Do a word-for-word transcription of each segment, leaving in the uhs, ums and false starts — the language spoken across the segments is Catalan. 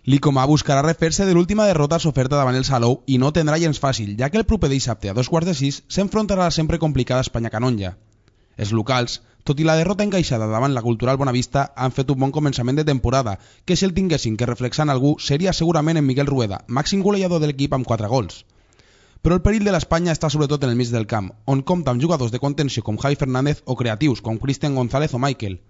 L'Icomà buscarà refer-se de l'última derrota soferta davant el Salou i no tindrà gens fàcil, ja que el proper dissabte a dos quarts de sis s'enfrontarà a la sempre complicada Espanya-Canonja. Els locals, tot i la derrota encaixada davant la Cultural Bonavista, han fet un bon començament de temporada, que si el tinguessin que reflexar en algú seria segurament en Miguel Rueda, màxim golejador de l'equip amb quatre gols. Però el perill de l'Espanya està sobretot en el mig del camp, on compta amb jugadors de contenció com Javi Fernández o creatius com Cristian González o Michael.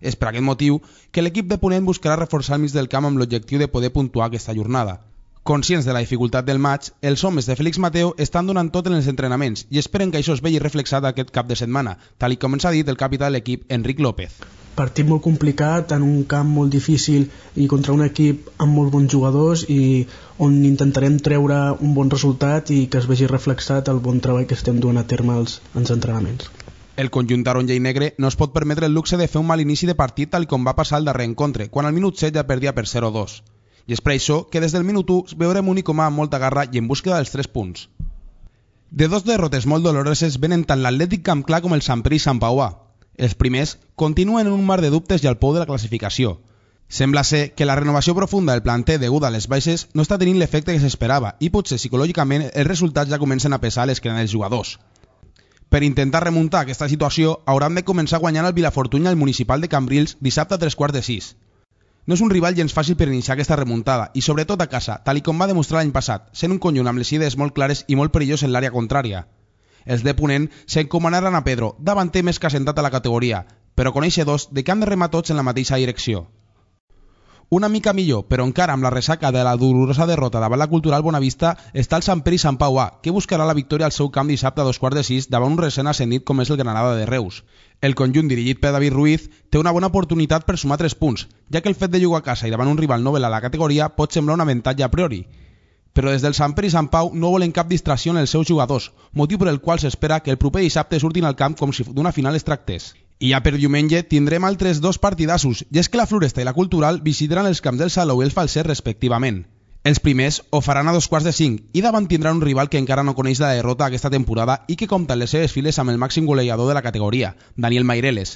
És per aquest motiu que l'equip de Ponent buscarà reforçar el mig del camp amb l'objectiu de poder puntuar aquesta jornada. Conscients de la dificultat del maig, els homes de Félix Mateo estan donant tot en els entrenaments i esperen que això es vegi reflexat aquest cap de setmana, tal i com ens ha dit el capità de l'equip, Enric López. Partit molt complicat, en un camp molt difícil i contra un equip amb molt bons jugadors i on intentarem treure un bon resultat i que es vegi reflexat el bon treball que estem duent a terme als, als entrenaments. El conjunt taronja i negre no es pot permetre el luxe de fer un mal inici de partit tal com va passar al darrer encontre, quan al minut set ja perdia per zero dos. I és per això que des del minut u veurem un Icomà amb molta garra i en búsqueda dels tres punts. De dos derrotes molt doloroses venen tant l'Atlètic Camp Clar com el Sant Pere i Sant Pauà. Els primers continuen en un mar de dubtes i al pou de la classificació. Sembla ser que la renovació profunda del planter deguda a les baixes no està tenint l'efecte que s'esperava i potser psicològicament els resultats ja comencen a pesar a l'esquena dels jugadors. Per intentar remuntar aquesta situació, hauran de començar guanyant el Vilafortuny al Municipal de Cambrils dissabte a tres quarts de sis. No és un rival gens fàcil per iniciar aquesta remuntada, i sobretot a casa, tal i com va demostrar l'any passat, sent un conjunt amb les idees molt clares i molt perillós en l'àrea contrària. Els de Ponent s'encomanaran a Pedro, davanter més que assentat a la categoria, però coneixedors de que han de remar tots en la mateixa direcció. Una mica millor, però encara amb la ressaca de la dolorosa derrota davant la Cultural Bonavista està el Sant Pere i Sant Pauà, que buscarà la victòria al seu camp dissabte a dos quarts de sis davant un recent ascendit com és el Granada de Reus. El conjunt dirigit per David Ruiz té una bona oportunitat per sumar tres punts, ja que el fet de jugar a casa i davant un rival novel a la categoria pot semblar un avantatge a priori. Però des del Sant Pere i Sant Pau no volen cap distracció en els seus jugadors, motiu per el qual s'espera que el proper dissabte surtin al camp com si d'una final es tractés. I ja per diumenge tindrem altres dos partidassos, i és que la Floresta i la Cultural visitaran els camps del Salou i el Falset respectivament. Els primers ho faran a dos quarts de cinc i davant tindran un rival que encara no coneix la derrota aquesta temporada i que compta en les seves files amb el màxim golejador de la categoria, Daniel Maireles.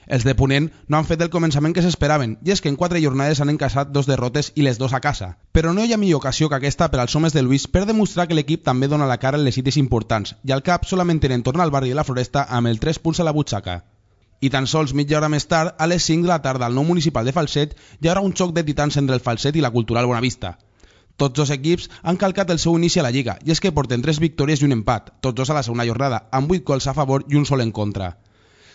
Els de Ponent no han fet el començament que s'esperaven, i és que en quatre jornades han encaixat dos derrotes i les dos a casa. Però no hi ha millor ocasió que aquesta per als homes de Luis per demostrar que l'equip també dona la cara en les cites importants, i al cap solament tenen tornar al barri de la Floresta amb el tres punts a la butxaca. I tan sols mitja hora més tard, a les cinc de la tarda al nou municipal de Falset, hi haurà un xoc de titans entre el Falset i la Cultural Bonavista. Tots dos equips han calcat el seu inici a la Lliga, i és que porten tres victòries i un empat, tots dos a la segona jornada, amb vuit gols a favor i un sol en contra.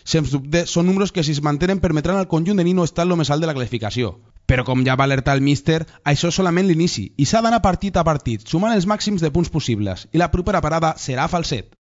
Sens dubte, són números que si es mantenen permetran al conjunt de Nino estar lo més alt de la classificació. Però com ja va alertar el míster, això és solament l'inici, i s'ha d'anar partit a partit, sumant els màxims de punts possibles, i la propera parada serà a Falset.